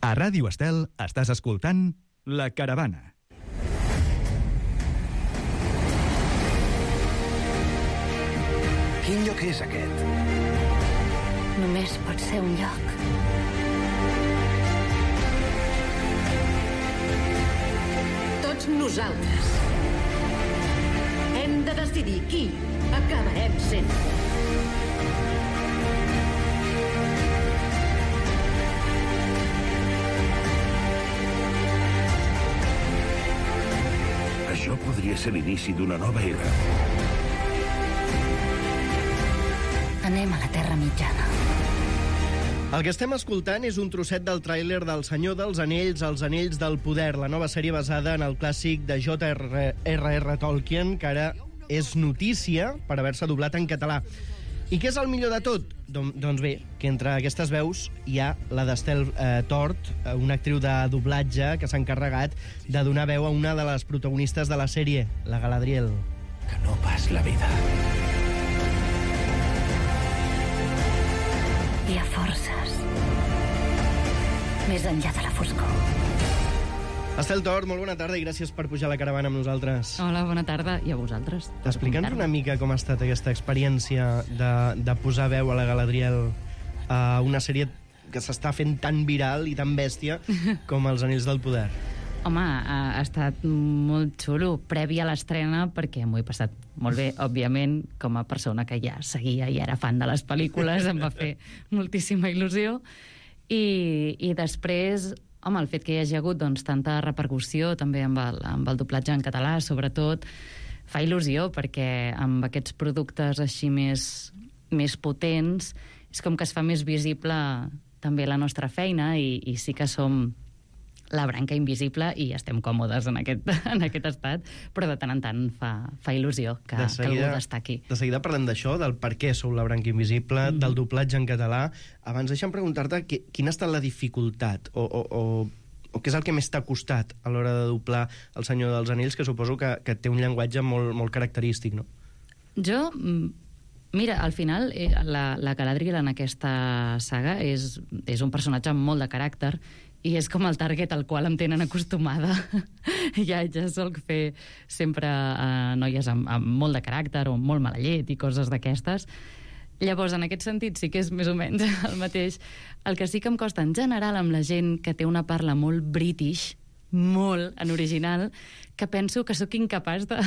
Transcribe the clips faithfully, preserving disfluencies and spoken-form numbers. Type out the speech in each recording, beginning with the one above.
A Ràdio Estel estàs escoltant La Caravana. Quin lloc és aquest? Només pot ser un lloc. Tots nosaltres hem de decidir qui acabarem sent. Això podria ser l'inici d'una nova era. Anem a la Terra Mitjana. El que estem escoltant és un trosset del tràiler del Senyor dels Anells, Els Anells del Poder, la nova sèrie basada en el clàssic de J R R Tolkien, que ara és notícia per haver-se doblat en català. I què és el millor de tot? Don, doncs bé, que entre aquestes veus hi ha la d'Estel eh, Tort, una actriu de doblatge que s'ha encarregat de donar veu a una de les protagonistes de la sèrie, la Galadriel. Que no pas la vida. Hi ha forces més enllà de la foscor. Estel Tort, molt bona tarda i gràcies per pujar a la caravana amb nosaltres. Hola, bona tarda, i a vosaltres. Explica'ns una mica com ha estat aquesta experiència de, de posar veu a la Galadriel a una sèrie que s'està fent tan viral i tan bèstia com Els Anells del Poder. Home, ha, ha estat molt xulo, previ a l'estrena, perquè m'ho he passat molt bé, òbviament, com a persona que ja seguia i era fan de les pel·lícules, em va fer moltíssima il·lusió. I, i després, home, el fet que hi hagi hagut doncs, tanta repercussió també amb el, amb el doblatge en català, sobretot, fa il·lusió, perquè amb aquests productes així més, més potents és com que es fa més visible també la nostra feina i, i sí que som la branca invisible i estem còmodes en aquest, en aquest estat, però de tant en tant fa, fa il·lusió que, De seguida- que algú destaqui. De seguida parlem d'això, del per què sou la branca invisible, Mm. del doblatge en català. Abans deixa'm preguntar-te qui- quina ha estat la dificultat o, o, o, o què és el que més t'ha costat a l'hora de doblar El Senyor dels Anells, que suposo que, que té un llenguatge molt, molt característic, no? Jo, mm, mira, al final eh, la, la Galadriel en aquesta saga és, és un personatge amb molt de caràcter i és com el target al qual em tenen acostumada. ja, ja solc fer sempre eh, noies amb, amb molt de caràcter o molt mala llet i coses d'aquestes. Llavors, en aquest sentit, sí que és més o menys el mateix. El que sí que em costa en general amb la gent que té una parla molt british, molt en original, que penso que sóc incapaç de,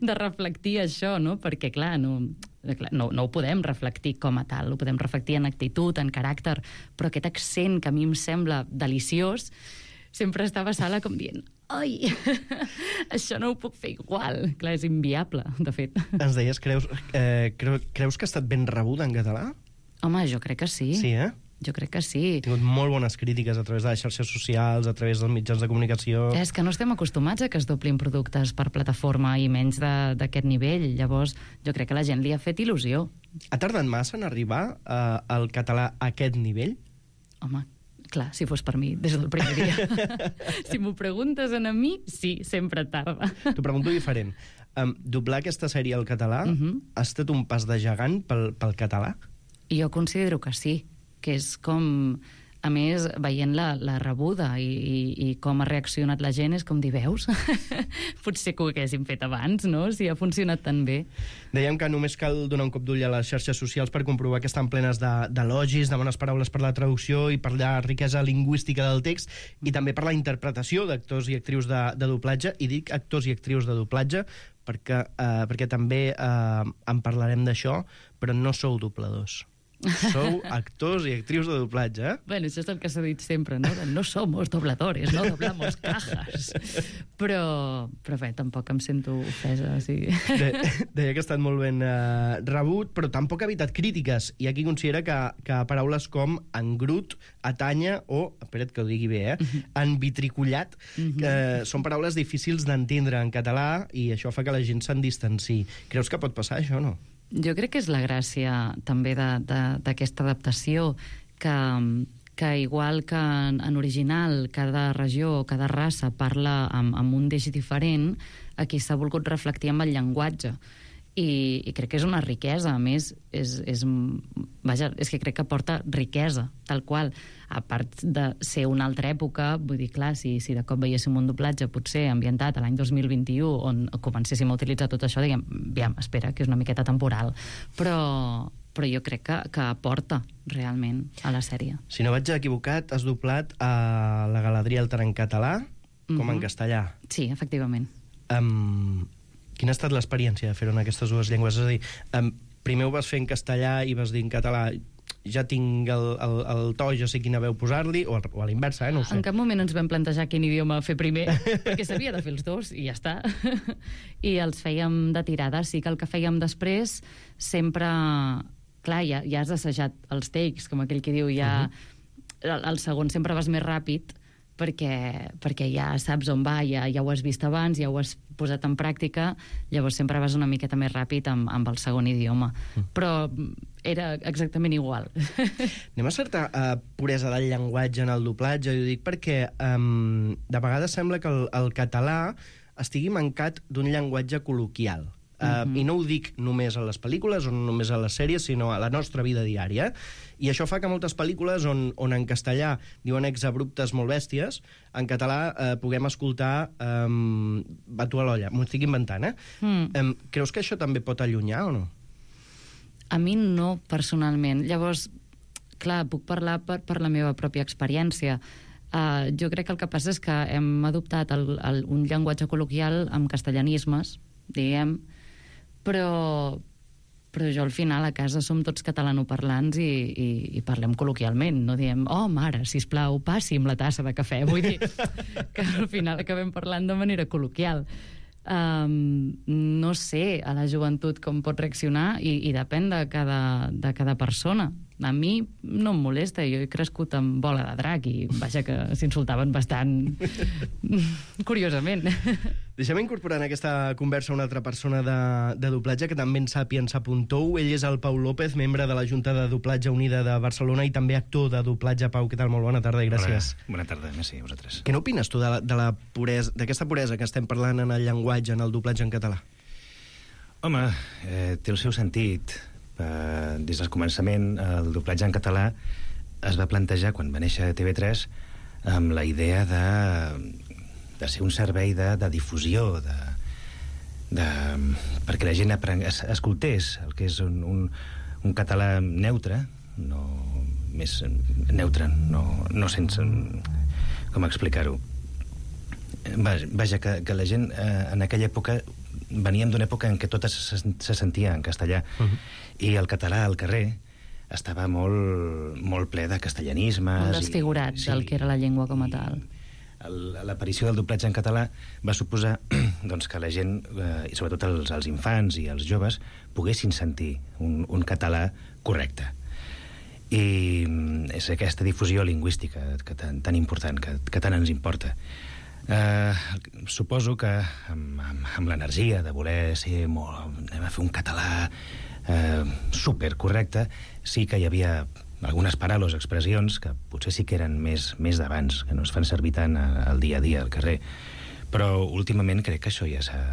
de reflectir això, no? Perquè, clar, no, clar no, no ho podem reflectir com a tal, ho podem reflectir en actitud, en caràcter, però aquest accent que a mi em sembla deliciós, sempre estava a sala com dient ai, això no ho puc fer igual. Clar, és inviable, de fet. Ens deies, creus, eh, creu, creus que ha estat ben rebuda en català? Home, jo crec que sí. Sí, eh? Jo crec que sí. Ha tingut molt bones crítiques a través de les xarxes socials, a través dels mitjans de comunicació. És que no estem acostumats a que es doblin productes per plataforma i menys de- d'aquest nivell. Llavors, jo crec que la gent li ha fet il·lusió. Ha tardat massa en arribar eh, al català a aquest nivell? Home, clar, si fos per mi, des del primer dia. Si m'ho preguntes a mi, sí, sempre tarda. T'ho pregunto diferent. Um, doblar aquesta sèrie al català Mhm. ha estat un pas de gegant pel, pel català? Jo considero que sí, que és com... A més, veient la, la rebuda i, i, i com ha reaccionat la gent, és com dir, veus? Potser que ho haguéssim fet abans, no?, si ha funcionat tan bé. Dèiem que només cal donar un cop d'ull a les xarxes socials per comprovar que estan plenes de- d'elogis, de bones paraules per la traducció i per la riquesa lingüística del text, i també per la interpretació d'actors i actrius de, de doblatge, i dic actors i actrius de doblatge perquè, eh, perquè també eh, en parlarem d'això, però no sou dobladors. Sou actors i actrius de doblatge, eh? Bueno, això és el que s'ha dit sempre, no? De, no somos dobladores, no doblamos cajas. Però, però bé, tampoc em sento ofesa, sí. De, deia que ha estat molt ben eh, rebut, però tampoc ha evitat crítiques. Hi ha qui considera que, que paraules com engrut, atanya o, espera't que ho digui bé, eh, envitricullat, que són paraules difícils d'entendre en català i això fa que la gent se'n distanci. Creus que pot passar això o no? Jo crec que és la gràcia també de- de- d'aquesta adaptació, que, que igual que en, en original cada regió o cada raça parla amb, amb un deix diferent, aquí s'ha volgut reflectir amb el llenguatge. i, i crec que és una riquesa. A més, és, és, vaja, és que crec que porta riquesa, tal qual. A part de ser una altra època, vull dir, clar, si, si de cop veiéssim un doblatge potser ambientat a l'any dos mil vint-i-u, on comencéssim a utilitzar tot això, diguem, aviam, espera, que és una miqueta temporal. Però, però jo crec que, que aporta realment a la sèrie. Si no vaig equivocat, has doblat a la Galadriel tant en català com mm-hmm. en castellà. Sí, efectivament. Um, quina ha estat l'experiència de fer-ho en aquestes dues llengües? És a dir, um, primer ho vas fer en castellà i vas dir en català ja tinc el, el, el to, ja sé quina veu posar-li, o, o a l'inversa, eh? No ho sé. En cap moment ens vam plantejar quin idioma fer primer, perquè s'havia de fer els dos, i ja està. I els fèiem de tirada. Sí que el que fèiem després sempre... Clar, ja, ja has assajat els takes, com aquell que diu, ja... Uh-huh. el, el segon sempre vas més ràpid, perquè, perquè ja saps on va, ja, ja ho has vist abans, ja ho has posat en pràctica, llavors sempre vas una miqueta més ràpid amb, amb el segon idioma. Mm. Però era exactament igual. Anem a certa uh, puresa del llenguatge en el doblatge, ho dic perquè um, de vegades sembla que el, el català estigui mancat d'un llenguatge col·loquial. Uh, mm-hmm. I no ho dic només a les pel·lícules o només a les sèries, sinó a la nostra vida diària. I això fa que moltes pel·lícules on, on en castellà diuen exabruptes molt bèsties, en català eh, puguem escoltar um, va tu a l'olla. M'ho estic inventant, eh? Mm. Um, creus que això també pot allunyar o no? A mi no, personalment. Llavors, clar, puc parlar per, per la meva pròpia experiència. Uh, jo crec que el que passa és que hem adoptat el, el, un llenguatge col·loquial amb castellanismes, diguem, però, però jo al final a casa som tots catalanoparlants i, i, i parlem col·loquialment, no diem, oh, mare, sisplau, passi'm la tassa de cafè. Vull dir que al final acabem parlant de manera col·loquial. Um, no sé a la joventut com pot reaccionar i, i depèn de cada, de cada persona. A mi no em molesta, jo he crescut amb Bola de Drac i vaja que s'insultaven bastant curiosament. Deixem incorporar en aquesta conversa una altra persona de, de doblatge que també en sap i en sap un tou. Ell és el Pau López, membre de la Junta de Doblatge Unida de Barcelona i també actor de doblatge. Pau, què tal? Molt bona tarda i gràcies. Hola, bona tarda, merci a vosaltres. Què n'opines tu de la, de la puresa, d'aquesta puresa que estem parlant en el llenguatge, en el doblatge en català? Home, eh, té el seu sentit. Eh, des del començament, el doblatge en català es va plantejar quan va néixer T V tres amb la idea de, de ser un servei de, de difusió, de, de, perquè la gent apren, es, escoltés el que és un, un, un català neutre, no, més neutre, no, no sense... com explicar-ho? Vaja, que, que la gent eh, en aquella època veníem d'una època en què tot se, se sentia en castellà, uh-huh. i el català al carrer estava molt, molt ple de castellanismes. Molt desfigurat i, sí, del que era la llengua com a tal. L'aparició del doblatge en català va suposar doncs, que la gent, eh, i sobretot els, els infants i els joves, poguessin sentir un, un català correcte. I és aquesta difusió lingüística que tan, tan important, que, que tant ens importa. Uh, suposo que amb, amb, amb l'energia de voler ser molt, anem a fer un català uh, supercorrecte, sí que hi havia algunes paraules, expressions que potser sí que eren més, més d'abans, que no es fan servir tant al dia a dia al carrer, però últimament crec que això ja s'ha...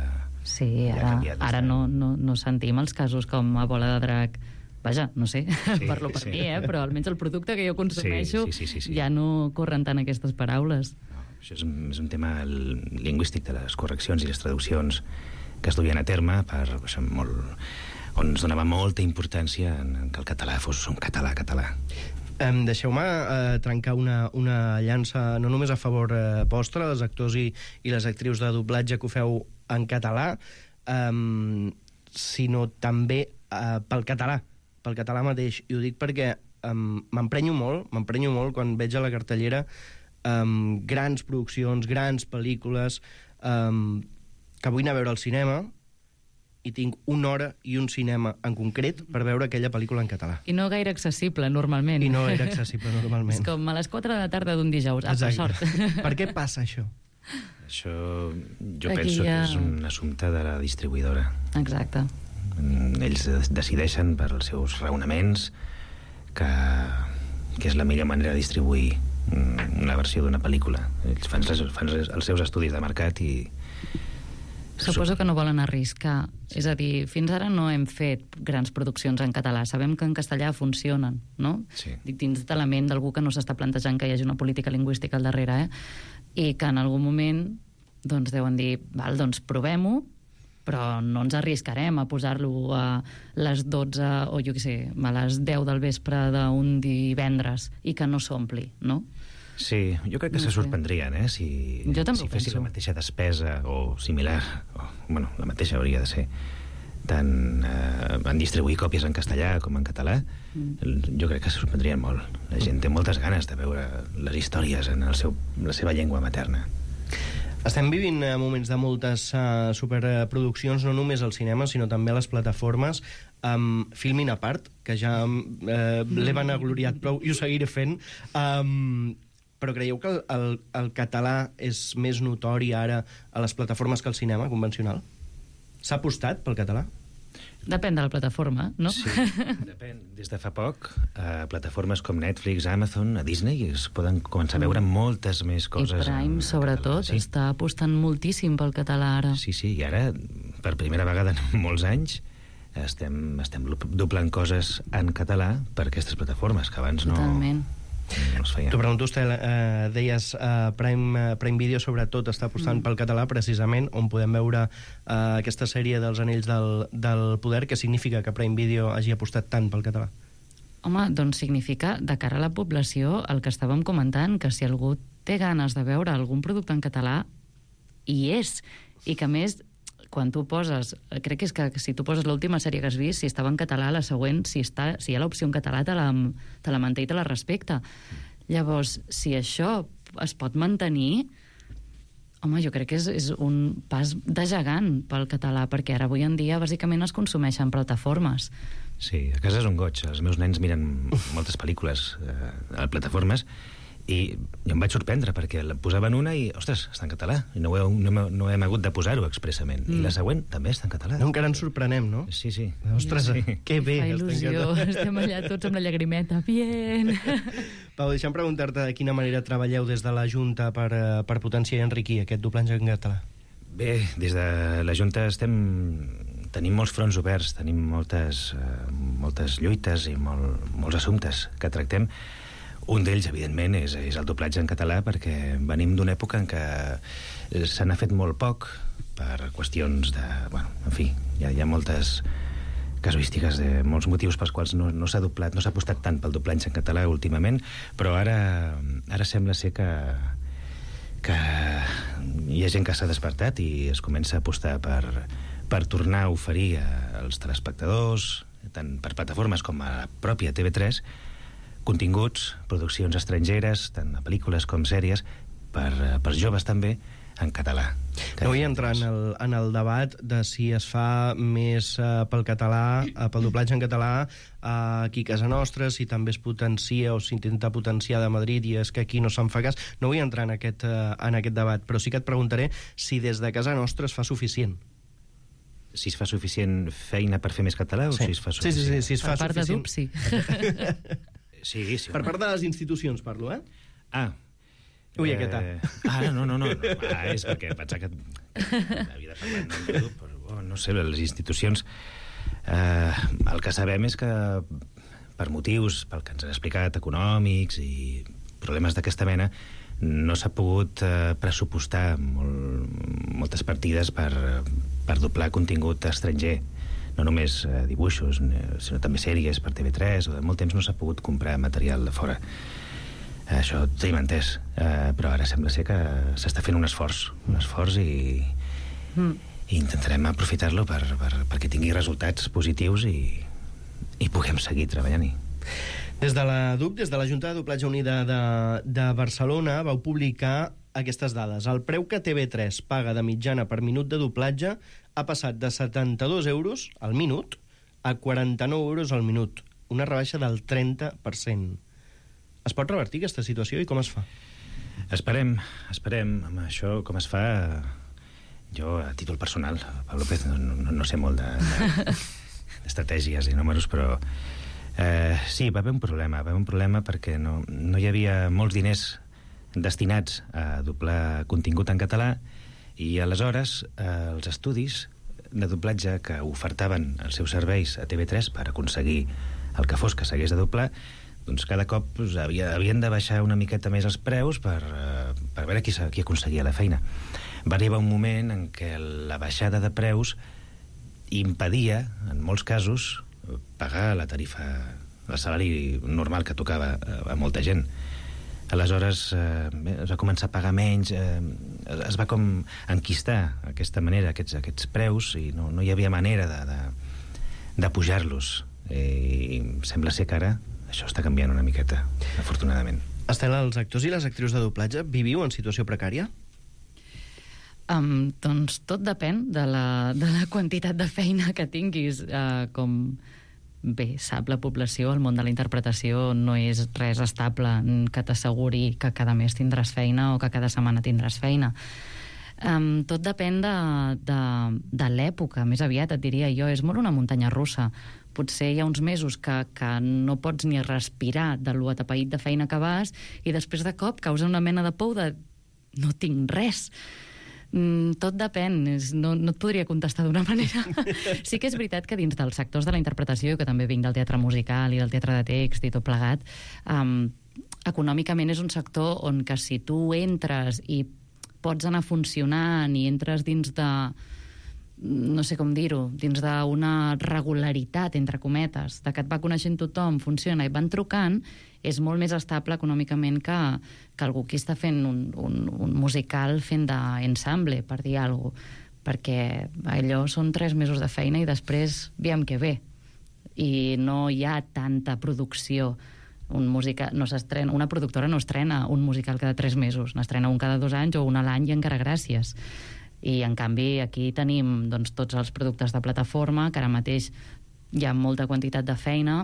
Sí, ara, ja ara no, no, no sentim els casos com a Bola de Drac. Vaja, no sé, sí, parlo per sí. mi, eh? Però almenys el producte que jo consumeixo sí, sí, sí, sí, sí. ja no corren tant aquestes paraules. Això és un, és un tema lingüístic de les correccions i les traduccions que es duien a terme per, això, molt, on es donava molta importància en, en que el català fos un català català. Um, Deixeu-me uh, trencar una, una llança no només a favor uh, vostre, els actors i, i les actrius de doblatge que ho feu en català, um, sinó també uh, pel català, pel català mateix. I ho dic perquè um, m'emprenyo molt, m'emprenyo molt quan veig a la cartellera Um, grans produccions, grans pel·lícules um, que vull anar a veure al cinema i tinc una hora i un cinema en concret per veure aquella pel·lícula en català. I no gaire accessible, normalment. I no gaire accessible, normalment. És com a les quatre de la tarda d'un dijous. Ah, per sort. Per què passa això? Això jo Aquí penso ja... que és un assumpte de la distribuïdora. Exacte. Ells decideixen per als seus raonaments que, que és la millor manera de distribuir una versió d'una pel·lícula. Ells fan, fan els seus estudis de mercat i Suposo que no volen arriscar. És a dir, fins ara no hem fet grans produccions en català. Sabem que en castellà funcionen, no? Sí. Dic, dins de la ment d'algú que no s'està plantejant que hi hagi una política lingüística al darrere, eh? I que en algun moment doncs deuen dir, val, doncs provem-ho, però no ens arriscarem a posar-lo a les dotze o jo què sé, a les deu del vespre d'un divendres i que no s'ompli, no? Sí, jo crec que No se sé. sorprendrien, eh? Si, Jo també si ho fessin penso. la mateixa despesa o similar, o, bueno, la mateixa hauria de ser, tant eh, en distribuir còpies en castellà com en català, mm. jo crec que se sorprendrien molt. La gent té moltes ganes de veure les històries en el seu, la seva llengua materna. Estem vivint eh, moments de moltes uh, superproduccions, no només al cinema, sinó també a les plataformes, amb Filmin a part, que ja eh, l'he vanagloriat prou i ho seguiré fent. Um, però creieu que el, el, el català és més notori ara a les plataformes que al cinema convencional? S'ha apostat pel català? Depèn de la plataforma, no? Sí, depèn. Des de fa poc, a plataformes com Netflix, Amazon, a Disney, es poden començar a veure moltes més I coses. Prime, en sobretot, català, sí. està apostant moltíssim pel català ara. Sí, sí, i ara, per primera vegada en molts anys, estem, estem doblant coses en català per aquestes plataformes, que abans no, Totalment. no es feien. T'ho pregunto, Estel, eh, deies eh, Prime, eh, Prime Video sobretot està apostant mm. pel català, precisament, on podem veure eh, aquesta sèrie dels Anells del, del Poder. Què significa que Prime Video hagi apostat tant pel català? Home, doncs significa, de cara a la població, el que estàvem comentant, que si algú té ganes de veure algun producte en català, hi és. I que, a més, quan tu poses... Crec que és que si tu poses l'última sèrie que has vist, si estava en català, la següent, si, està, si hi ha l'opció en català, te la, te la manté i te la respecta. Llavors, si això es pot mantenir... Home, jo crec que és, és un pas de gegant pel català, perquè ara avui en dia bàsicament es consumeixen plataformes. Sí, a casa és un goig. Els meus nens miren moltes pel·lícules eh, a plataformes i jo em vaig sorprendre perquè la posaven una i, ostres, està en català. I no, ho he, no, no hem hagut de posar-ho expressament. Mm. I la següent també està en català. No, encara ens sorprenem, no? Sí, sí. Ostres, sí. que bé. Fa està en il·lusió, català. estem allà tots amb la llagrimeta. Bien! Pau, deixa'm preguntar-te de quina manera treballeu des de la Junta per, eh, per potenciar i enriquir aquest doblatge en català. Bé, des de la Junta estem... tenim molts fronts oberts, tenim moltes, eh, moltes lluites i molt, molts assumptes que tractem. Un d'ells, evidentment, és, és el doblatge en català, perquè venim d'una època en què se n'ha fet molt poc per qüestions de... Bueno, en fi, hi ha, hi ha moltes casuístiques, de molts motius pels quals no, no s'ha doblat, no s'ha apostat tant pel doblatge en català últimament, però ara, ara sembla ser que, que hi ha gent que s'ha despertat i es comença a apostar per, per tornar a oferir als telespectadors, tant per plataformes com a la pròpia T V tres, continguts, produccions estrangeres, tant a pel·lícules com sèries, per, per joves també, en català. No vull entrar en el, en el debat de si es fa més uh, pel català, uh, pel doblatge en català, uh, aquí a casa nostra, si també es potencia o s'intenta potenciar de Madrid i és que aquí no se'n fa cas. No vull entrar en aquest, uh, en aquest debat, però sí que et preguntaré si des de casa nostra es fa suficient. Si es fa suficient feina per fer més català o Sí. si es fa Sí, sí, suficient... sí, si es fa Per part de suficient. Dup, sí. Sí, sí. Per part de les institucions parlo, eh? Ah. Ui, aquesta. Ah, no, no, no. no. Ah, és perquè pensava que havia de parlar en nom de Dup, però oh, no sé, les institucions... Eh, el que sabem és que per motius, pel que ens han explicat, econòmics i problemes d'aquesta mena, no s'ha pogut eh, pressupostar molt, moltes partides per, per doblar contingut estranger. No només eh, dibuixos, sinó també sèries per T V tres, o de molt temps no s'ha pogut comprar material de fora. Això ho tenim entès, eh, però ara sembla ser que s'està fent un esforç, un esforç i, mm. i intentarem aprofitar-lo per, per, perquè tingui resultats positius i, i puguem seguir treballant-hi. Des de la D U P, des de la Junta de Doblatge Unida de, de Barcelona, vau publicar aquestes dades. El preu que T V tres paga de mitjana per minut de doblatge ha passat de setanta-dos euros al minut a quaranta-nou euros al minut, una rebaixa del trenta per cent. Es pot revertir aquesta situació i com es fa? Esperem, esperem. Amb això, com es fa... Jo, a títol personal, Pau López, no, no, no sé molt de, d'estratègies i números, però... Eh, sí, va haver un problema. Va haver un problema perquè no, no hi havia molts diners destinats a doblar contingut en català I aleshores eh, els estudis de doblatge que ofertaven els seus serveis a T V tres per aconseguir el que fos que s'hagués de doblar, doncs cada cop doncs, havia, havien de baixar una miqueta més els preus per, eh, per veure qui, qui aconseguia la feina. Va arribar un moment en què la baixada de preus impedia, en molts casos, pagar la tarifa, el salari normal que tocava a molta gent. Aleshores eh, es va començar a pagar menys, eh, es va com enquistar aquesta manera, aquests, aquests preus, i no, no hi havia manera de, de, de pujar-los. Eh, I sembla ser que ara això està canviant una miqueta, afortunadament. Estela, els actors i les actrius de doblatge viviu en situació precària? Um, doncs tot depèn de la, de la quantitat de feina que tinguis, uh, com... Bé, sap la població, el món de la interpretació no és res estable que t'asseguri que cada mes tindràs feina o que cada setmana tindràs feina. Um, tot depèn de, de, de l'època, més aviat et diria jo, és molt una muntanya russa. Potser hi ha uns mesos que, que no pots ni respirar de lo atapeït de feina que vas i després de cop causa una mena de por de no tinc res. Mm, tot depèn, és, no, no et podria contestar d'una manera. Sí que és veritat que dins dels sectors de la interpretació, que també vinc del teatre musical i del teatre de text i tot plegat, um, econòmicament és un sector on que si tu entres i pots anar funcionant i entres dins de, no sé com dir-ho, dins d'una regularitat, entre cometes, de que et va coneixent tothom, funciona i van trucant, és molt més estable econòmicament que, que algú que està fent un, un, un musical fent d'ensemble, per dir alguna cosa, perquè allò són tres mesos de feina i després veiem què ve. I no hi ha tanta producció. Un musical, no s'estrena, una productora no estrena un musical cada tres mesos, n'estrena un cada dos anys o un a l'any i encara gràcies. I en canvi aquí tenim doncs, tots els productes de plataforma, que ara mateix hi ha molta quantitat de feina,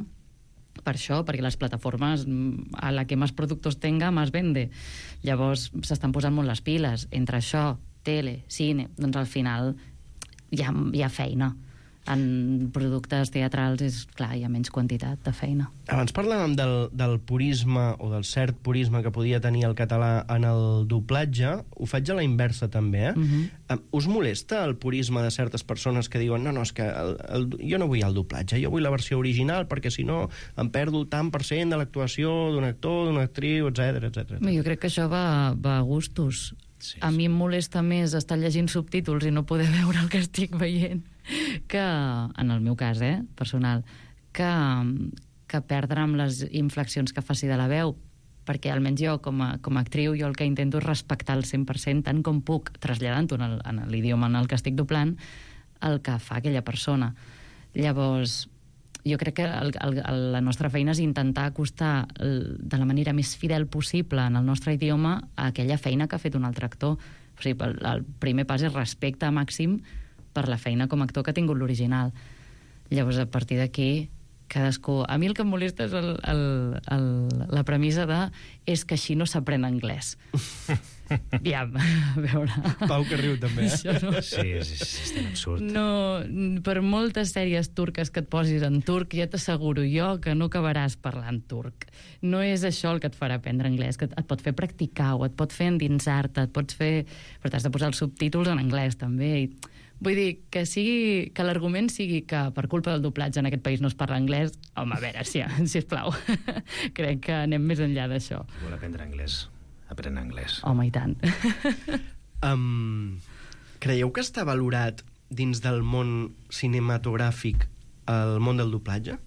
per això, perquè les plataformes, a la que més productors tenga, més vende. Llavors s'estan posant molt les piles. Entre això, tele, cine, doncs al final hi ha, hi ha feina. En productes teatrals, és clar, hi ha menys quantitat de feina. Abans parlàvem del, del purisme o del cert purisme que podia tenir el català en el doblatge. Ho faig a la inversa, també, eh? Uh-huh. Us molesta el purisme de certes persones que diuen no, no, és que el, el, jo no vull el doblatge, jo vull la versió original perquè si no em perdo el tant per cent de l'actuació d'un actor, d'una actriu, etcètera, etcètera. Jo crec que això va, va a gustos. Sí, a mi em molesta més estar llegint subtítols i no poder veure el que estic veient que, en el meu cas, eh, personal, que, que perdre amb les inflexions que faci de la veu, perquè almenys jo, com a, com a actriu, jo el que intento és respectar el cent per cent, tant com puc, traslladant-ho en, el, en l'idioma en el que estic doblant, el que fa aquella persona. Llavors, jo crec que el, el, la nostra feina és intentar acostar el, de la manera més fidel possible en el nostre idioma a aquella feina que ha fet un altre actor. O sigui, el, el primer pas és respecte màxim per la feina com a actor que ha tingut l'original. Llavors, a partir d'aquí, cadascú... A mi el que em molesta és el, el, el, la premissa de és que així no s'aprèn anglès. Aviam, a veure... Pau que riu, també, eh? Això no... Sí, és, és, és tan absurd. No, per moltes sèries turques que et posis en turc, ja t'asseguro jo que no acabaràs parlant turc. No és això el que et farà aprendre anglès, que et pot fer practicar o et pot fer endinsar-te, et pots fer... Però t'has de posar els subtítols en anglès, també, i... Vull dir, que sigui que l'argument sigui que per culpa del doblatge en aquest país no es parla anglès, home, a veure, si, sisplau. Crec que anem més enllà d'això. Si vol aprendre anglès, aprèn anglès. Home, i tant. um, creieu que està valorat dins del món cinematogràfic el món del doblatge?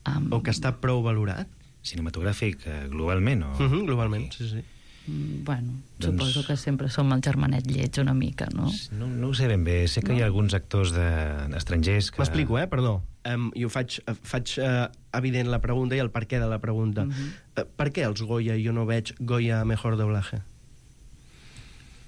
Um, o que està prou valorat? Cinematogràfic, eh, globalment? O... Uh -huh, globalment, sí, sí. Bueno, doncs... suposo que sempre som el germanet lleig una mica, no? No, no ho sé ben bé. Sé que no? Hi ha alguns actors de, estrangers que... M'explico, eh? Perdó. Um, I ho faig, faig uh, evident la pregunta i el per què de la pregunta. Uh -huh. uh, per què els Goya jo no veig Goya a Mejor Doblaje?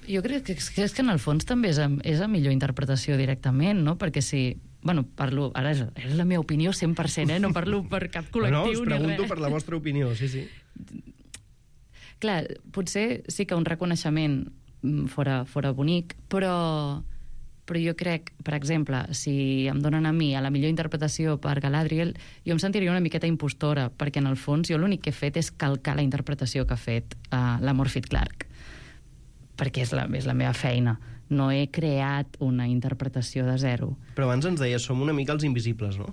Jo crec que, que és que en el fons també és a, és a millor interpretació directament, no? Perquè si... Bueno, parlo... Ara és, és la meva opinió cent per cent, eh? No parlo per cap col·lectiu no, us pregunto ni res. Per la vostra opinió, sí, sí. Clar, potser sí que un reconeixement fora, fora bonic, però, però jo crec, per exemple, si em donen a mi a la millor interpretació per Galadriel, jo em sentiria una miqueta impostora, perquè en el fons jo l'únic que he fet és calcar la interpretació que ha fet uh, la Morfydd Clark. perquè és la, és la meva feina. No he creat una interpretació de zero. Però abans ens deies, som una mica els invisibles, no?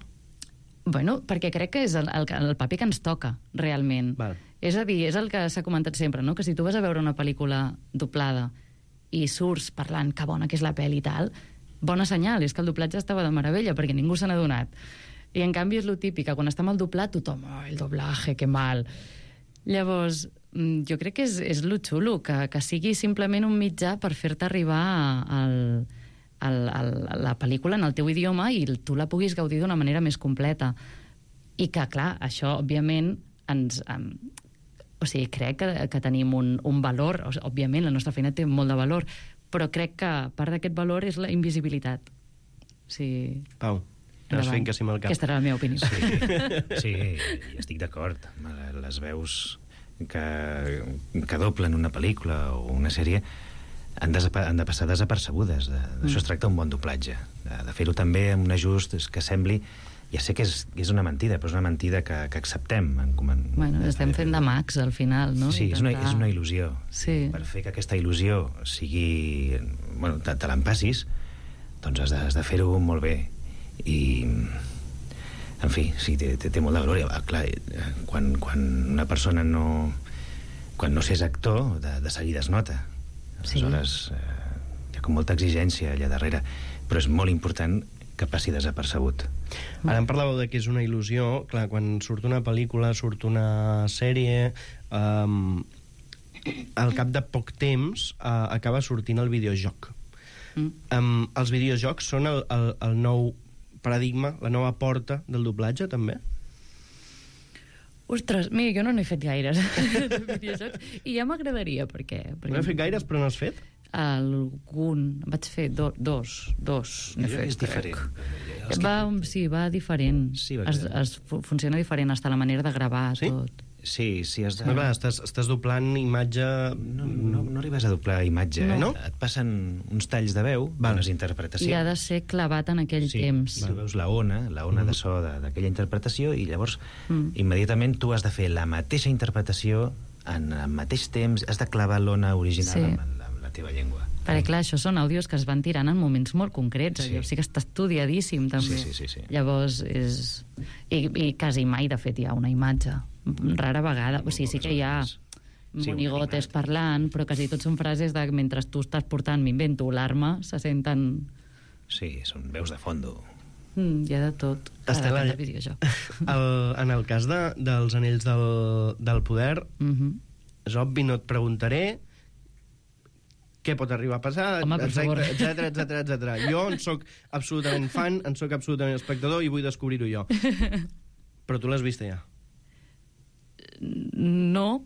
Bueno, perquè crec que és el, el, el paper que ens toca, realment. Val. És a dir, és el que s'ha comentat sempre, no? Que si tu vas a veure una pel·lícula doblada i surts parlant que bona que és la pel·li i tal, bona senyal, és que el doblatge estava de meravella, perquè ningú se n'ha donat. I en canvi és lo típic, que quan està mal doblat tothom, oh, el doblaje, que mal. Llavors, jo crec que és, és lo xulo, que, que sigui simplement un mitjà per fer-te arribar al, al, al, a la pel·lícula en el teu idioma i tu la puguis gaudir d'una manera més completa. I que, clar, això, òbviament, ens... Um, o sigui, crec que, que tenim un, un valor, o sigui, òbviament, la nostra feina té molt de valor, però crec que part d'aquest valor és la invisibilitat. Sí. Pau, estàs fent que sí amb el cap. Aquesta era la meva opinió. Sí, sí, i estic d'acord. Les veus que, que doblen una pel·lícula o una sèrie han de, han de passar desapercebudes. De, d'això mm. es tracta un bon doblatge. De, de fer-ho també amb un ajust que sembli... Ja sé que és, que és una mentida, però és una mentida que, que acceptem. En, en, bueno, estem fent de mags, al final, no? Sí, és una, és una il·lusió. Sí. Per fer que aquesta il·lusió sigui... Bueno, te, te l'empassis, doncs has de, has de fer-ho molt bé. I... En fi, sí, té, té, té molt de valor. I, clar, quan, quan una persona no... Quan no s'és actor, de, de seguida es nota. Aleshores, sí. eh, hi ha com molta exigència allà darrere. Però és molt important que passi desapercebut. Ara em parlàveu de que és una il·lusió. Clar, quan surt una pel·lícula, surt una sèrie, um, al cap de poc temps uh, acaba sortint el videojoc. Mm. Um, els videojocs són el, el, el nou paradigma, la nova porta del doblatge, també? Ostres, mira, jo no n'he fet gaires de videojocs, i ja m'agradaria, perquè... perquè... No he fet gaires, però no has fet? Algun... Vaig fer do, dos, dos n'he fet. És diferent. Va, sí, va diferent. Sí, va es, es funciona diferent, hasta la manera de gravar, sí? tot. Sí, sí, has de... No, clar, estàs, estàs doblant imatge... No, no, no arribes a doblar imatge, no. eh? No? Et passen uns talls de veu, Val. unes interpretacions. I ha de ser clavat en aquell sí, temps. Sí, tu veus la ona, la ona mm. de so d'aquella interpretació, i llavors mm. immediatament tu has de fer la mateixa interpretació en el mateix temps, has de clavar l'ona original sí. amb, la, amb la teva llengua. Perquè, clar, això són àudios que es van tirant en moments molt concrets. Sí. O sigui que està estudiadíssim, també. Sí, sí, sí, sí. Llavors, és... I, I quasi mai, de fet, hi ha una imatge. Rara vegada. O sigui, sí que hi ha sí, monigotes parlant, però quasi tot són frases de mentre tu estàs portant, m'invento, l'arma, se senten... Sí, són veus de fondo. Mm, hi ha de tot. Estela, de videojoc. El, en el cas de, dels anells del, del poder, Mm-hmm. és obvi, no et preguntaré què pot arribar a passar, Home, per favor. etcètera, etcètera, etcètera. Jo en soc absolutament fan, en soc absolutament espectador i vull descobrir-ho jo. Però tu l'has vista ja? No.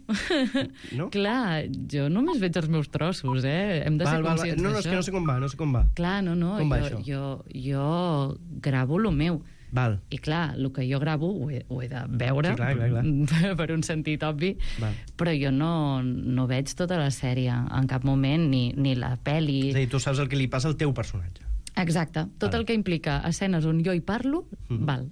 No? Clar, jo només veig els meus trossos, eh? Hem de val, ser val, conscients val. No, no, és que no sé com va, no sé com va. Clar, no, no. Com va jo, això? jo, jo gravo lo meu. Val. I clar, el que jo gravo ho he, ho he de veure, sí, clar, clar, clar. per un sentit obvi, Val. però jo no, no veig tota la sèrie en cap moment, ni, ni la pel·li. És a dir, tu saps el que li passa al teu personatge. Exacte, tot Val. el que implica escenes on jo hi parlo, mm. val.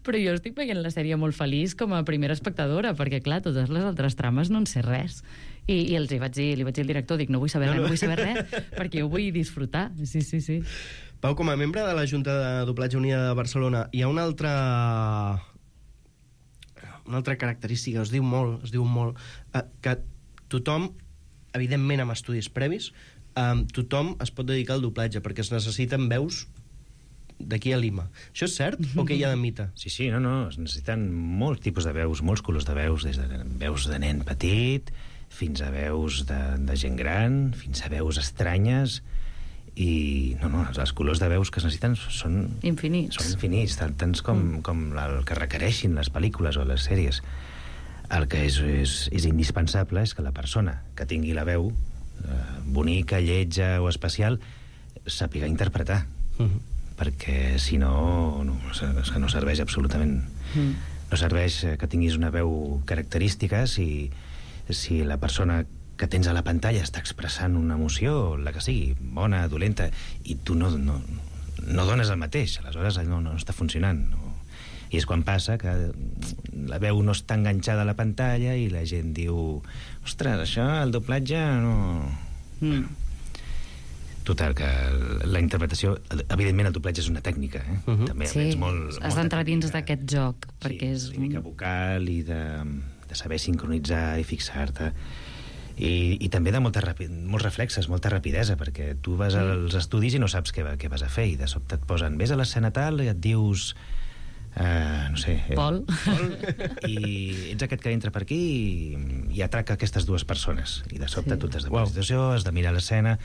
Però jo estic veient la sèrie molt feliç com a primera espectadora, perquè clar, totes les altres trames no en sé res. I, i els hi vaig dir, li vaig dir al director, dic, no vull saber no, res, no. no vull saber res, perquè jo vull disfrutar. Sí, sí, sí. Pau, com a membre de la Junta de Doblatge Unida de Barcelona, hi ha una altra... una altra característica, es diu molt, es diu molt, eh, que tothom, evidentment amb estudis previs, Um, tothom es pot dedicar al doblatge perquè es necessiten veus d'aquí a Lima. Això és cert o què hi ha de mite? Sí, sí, no, no, es necessiten molts tipus de veus, molts colors de veus, des de veus de nen petit fins a veus de, de gent gran, fins a veus estranyes, i no, no, els colors de veus que es necessiten són infinits, són infinits tant, tants com, mm. com el que requereixin les pel·lícules o les sèries. El que és, és, és indispensable és que la persona que tingui la veu bonica, lletja o especial sàpiga interpretar, uh-huh. perquè si no, no és que no serveix absolutament. Uh-huh. No serveix que tinguis una veu característica si, si la persona que tens a la pantalla està expressant una emoció, la que sigui, bona, dolenta, i tu no, no, no dones el mateix, aleshores no, no està funcionant. No. I és quan passa que la veu no està enganxada a la pantalla i la gent diu, ostres, això, el doblatge no... Mm. Total, que la interpretació... Evidentment, el doblatge és una tècnica, eh? Uh -huh. També sí, és molt... has d'entrar dins d'aquest joc, sí, perquè és... Tècnica vocal i de, de saber sincronitzar i fixar-te. I, i també de molta rapi, molts reflexes, molta rapidesa, perquè tu vas als estudis i no saps què, què vas a fer, i de sobte et posen, vés a l'escena tal, i et dius... Uh, no sé... Eh, Pol. Pol. I ets aquest que entra per aquí i, i atraca aquestes dues persones. I de sobte sí. tu t'has de posar wow. situació, has de mirar l'escena...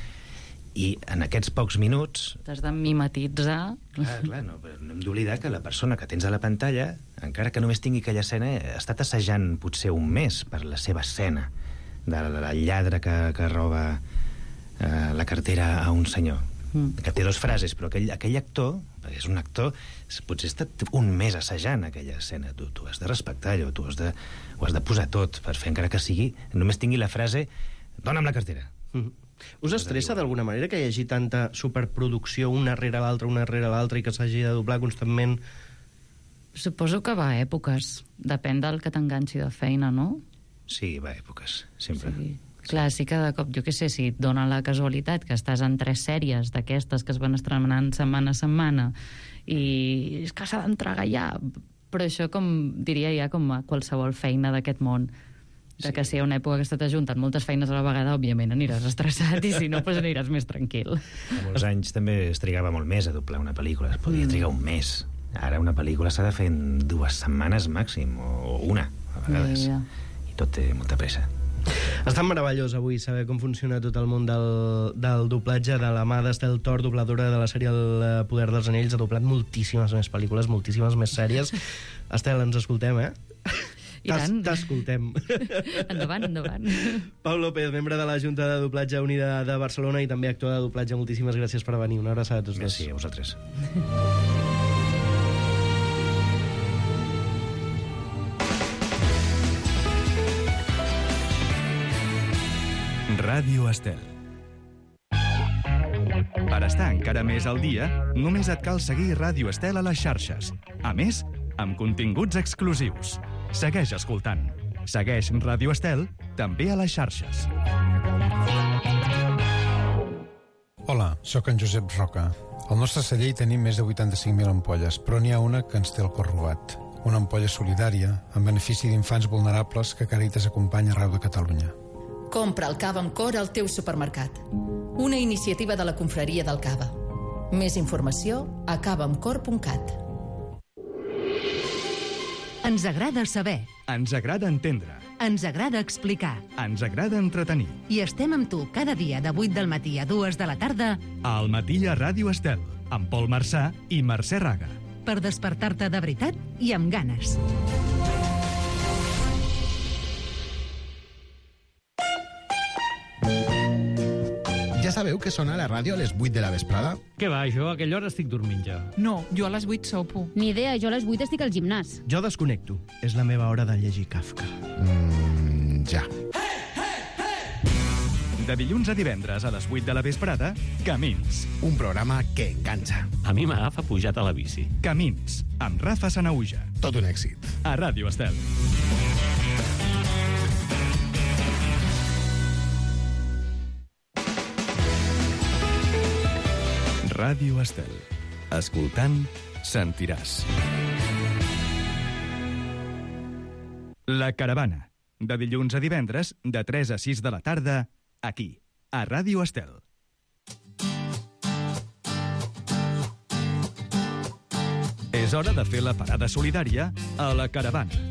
I en aquests pocs minuts... T'has de mimetitzar... Clar, clar, no, però no hem d'oblidar que la persona que tens a la pantalla, encara que només tingui aquella escena, ha estat assajant potser un mes per la seva escena, del lladre que, que roba eh, la cartera a un senyor, mm. que té dues frases, però aquell, aquell actor, perquè és un actor, potser ha estat un mes assajant aquella escena. Tu, tu has de respectar allò, tu has de, ho has de posar tot per fer, encara que sigui, només tingui la frase, dona'm la cartera. Mm. Us estressa d'alguna manera que hi hagi tanta superproducció una rere l'altra, una rere l'altra, i que s'hagi de doblar constantment? Suposo que va a èpoques. Depèn del que t'enganxi de feina, no? Sí, va a èpoques, sempre. Sí. Clar, sí que de cop, jo què sé, si et dona la casualitat que estàs en tres sèries d'aquestes que es van estrenant setmana a setmana i és que s'ha d'entregar ja. Però això, com diria ja, com a qualsevol feina d'aquest món, de que si hi ha una època que està t'ajuntant moltes feines a la vegada, òbviament aniràs estressat, i si no, doncs aniràs més tranquil. A molts anys també es trigava molt més a doblar una pel·lícula, es podia trigar un mes. Ara una pel·lícula s'ha de fer en dues setmanes màxim, o una, a vegades. Ja, ja. I tot té molta pressa. Ha estat meravellós avui saber com funciona tot el món del, del doblatge, de la mà d'Estel Tor, dobladora de la sèrie El Poder dels Anells. Ha doblat moltíssimes més pel·lícules, moltíssimes més sèries. Estel, ens escoltem, eh? I tant. T'escoltem. Endavant, endavant. Pau López, membre de la Junta de Doblatge Unida de Barcelona i també actor de doblatge, moltíssimes gràcies per venir. Una abraçada a tots dos. Gràcies a vosaltres. Ràdio Estel. Per estar encara més al dia, només et cal seguir Ràdio Estel a les xarxes. A més, amb continguts exclusius. Segueix escoltant. Segueix Ràdio Estel també a les xarxes. Hola, sóc en Josep Roca. Al nostre celler hi tenim més de vuitanta-cinc mil ampolles, però n'hi ha una que ens té el cor robat. Una ampolla solidària en benefici d'infants vulnerables que Càritas acompanya arreu de Catalunya. Compra el cava amb cor al teu supermercat. Una iniciativa de la Confraria del Cava. Més informació a cava amb cor punt cat. Ens agrada saber. Ens agrada entendre. Ens agrada explicar. Ens agrada entretenir. I estem amb tu cada dia de vuit del matí a dues de la tarda al matí a Ràdio Estel, amb Pol Marçà i Mercè Raga. Per despertar-te de veritat i amb ganes. Ja sabeu que sona la ràdio a les vuit de la vesprada? Què va, jo a aquella hora estic dormint ja. No, jo a les vuit sopo. Ni idea, jo a les vuit estic al gimnàs. Jo desconnecto. És la meva hora de llegir Kafka. Mm, ja. De dilluns a divendres a les vuit de la vesprada, Camins. Un programa que enganxa. A mi m'agafa pujat a la bici. Camins, amb Rafa Sanauja. Tot un èxit. A Ràdio Estel. Ràdio Estel. Escoltant, sentiràs. La Caravana. De dilluns a divendres, de tres a sis de la tarda, aquí, a Ràdio Estel. És hora de fer la parada solidària a La Caravana.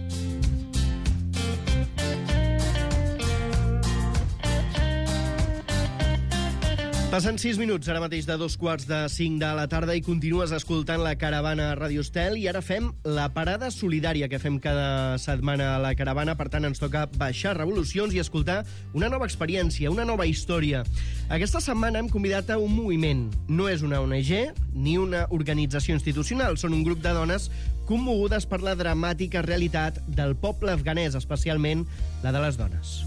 Passen sis minuts, ara mateix de dos quarts de cinc de la tarda, i continues escoltant La Caravana a Ràdio Estel, i ara fem la parada solidària que fem cada setmana a La Caravana. Per tant, ens toca baixar revolucions i escoltar una nova experiència, una nova història. Aquesta setmana hem convidat a un moviment. No és una O N G ni una organització institucional, són un grup de dones commogudes per la dramàtica realitat del poble afganès, especialment la de les dones.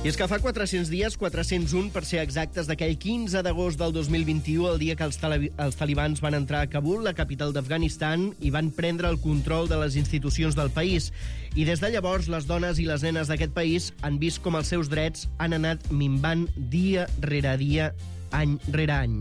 I és que fa quatre-cents dies, quatre-cents un per ser exactes, d'aquell quinze d'agost del dos mil vint-i-u, el dia que els, tali els talibans van entrar a Kabul, la capital d'Afganistan, i van prendre el control de les institucions del país. I des de llavors, les dones i les nenes d'aquest país han vist com els seus drets han anat minvant dia rere dia, any rere any.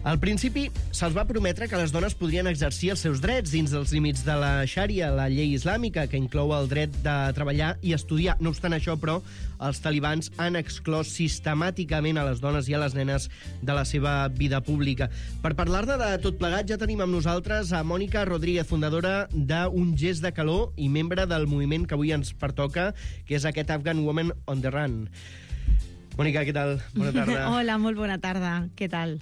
Al principi, se'ls va prometre que les dones podrien exercir els seus drets dins dels límits de la Xària, la llei islàmica, que inclou el dret de treballar i estudiar. No obstant això, però, els talibans han exclòs sistemàticament a les dones i a les nenes de la seva vida pública. Per parlar-ne de tot plegat, ja tenim amb nosaltres a Mònica Rodríguez, fundadora d'Un Gest de Calor i membre del moviment que avui ens pertoca, que és aquest Afghan Women on the Run. Mònica, què tal? Bona tarda. Hola, molt bona tarda. Què tal?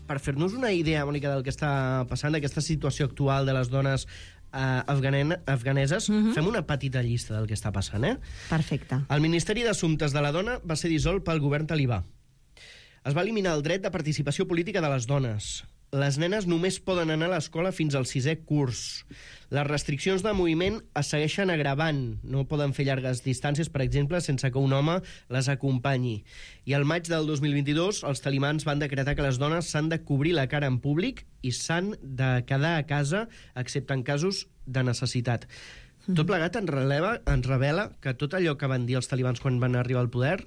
Per fer-nos una idea, Mònica, del que està passant, d'aquesta situació actual de les dones eh, afganeses, uh-huh. fem una petita llista del que està passant, eh? Perfecte. El Ministeri d'Assumptes de la Dona va ser dissolt pel govern talibà. Es va eliminar el dret de participació política de les dones. Les nenes només poden anar a l'escola fins al sisè curs. Les restriccions de moviment es segueixen agravant. No poden fer llargues distàncies, per exemple, sense que un home les acompanyi. I al maig del dos mil vint-i-dos, els talibans van decretar que les dones s'han de cobrir la cara en públic i s'han de quedar a casa, excepte en casos de necessitat. Mm. Tot plegat ens, releva, ens revela que tot allò que van dir els talibans quan van arribar al poder...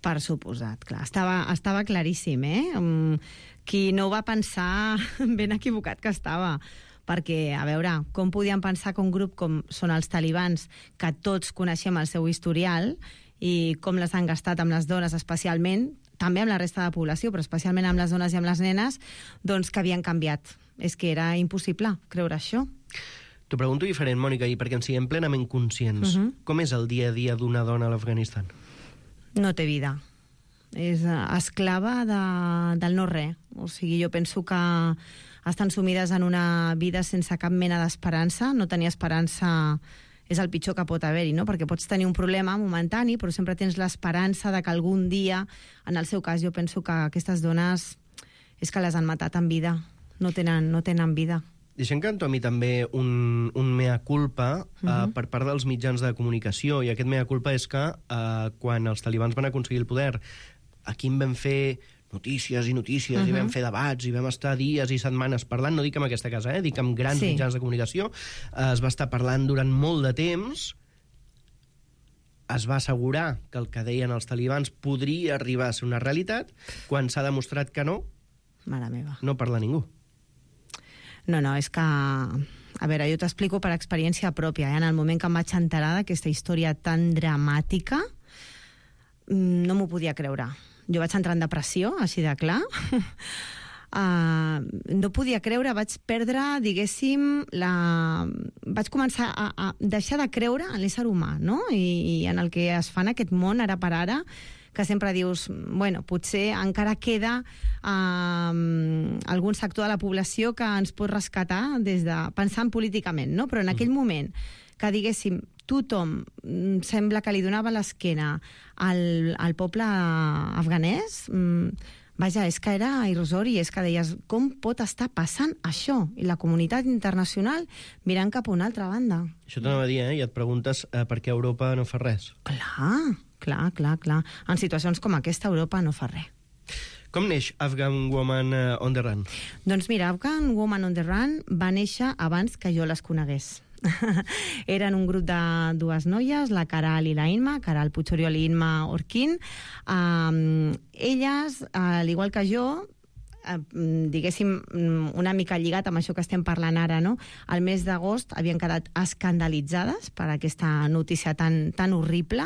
Per suposat, clar. Estava, estava claríssim, eh? Um, qui no ho va pensar, ben equivocat que estava. Perquè, a veure, com podien pensar que un grup com són els talibans, que tots coneixem el seu historial, i com les han gastat amb les dones especialment, també amb la resta de la població, però especialment amb les dones i amb les nenes, doncs que havien canviat. És que era impossible creure això. T'ho pregunto diferent, Mònica, i perquè en siguem plenament conscients. Uh-huh. Com és el dia a dia d'una dona a l'Afganistan? No té vida. És esclava de, del no-res. O sigui, jo penso que estan sumides en una vida sense cap mena d'esperança. No tenir esperança és el pitjor que pot haver-hi, no? Perquè pots tenir un problema momentani, però sempre tens l'esperança de que algun dia, en el seu cas, jo penso que aquestes dones és que les han matat en vida. No tenen, no tenen vida. Deixem que entomi també un, un mea culpa uh, uh-huh. per part dels mitjans de comunicació, i aquest mea culpa és que uh, quan els talibans van aconseguir el poder, aquí en vam fer notícies i notícies, uh-huh. i vam fer debats, i vam estar dies i setmanes parlant, no dic amb aquesta casa, eh, dic amb grans sí. mitjans de comunicació, uh, es va estar parlant durant molt de temps, es va assegurar que el que deien els talibans podria arribar a ser una realitat, quan s'ha demostrat que no, Mare meva. No parla ningú. No, no, és que... A veure, jo t'explico per experiència pròpia. Eh? En el moment que em vaig enterar d'aquesta història tan dramàtica, no m'ho podia creure. Jo vaig entrar en depressió, així de clar. Uh, no podia creure, vaig perdre, diguéssim, la... vaig començar a, a deixar de creure en l'ésser humà, no? I, i en el que es fa en aquest món, ara per ara, que sempre dius, bueno, potser encara queda uh, algun sector de la població que ens pot rescatar des de pensant políticament, no? Però en aquell moment que, diguéssim, tothom sembla que li donava l'esquena al, al poble afganès, vaja, és que era irrisori, és que deies, com pot estar passant això? I la comunitat internacional mirant cap a una altra banda. Això t'anava a dir, eh? I et preguntes eh, per què Europa no fa res. Clar, clar, clar, clar. En situacions com aquesta, Europa no fa res. Com neix Afghan Women on the Run? Doncs mira, Afghan Women on the Run va néixer abans que jo les conegués. Eren un grup de dues noies, la Caral i la Inma, Caral Puigoriol i Inma Orquín. Um, elles, al igual que jo, uh, diguéssim, una mica lligat amb això que estem parlant ara, no? Al mes d'agost havien quedat escandalitzades per aquesta notícia tan, tan horrible,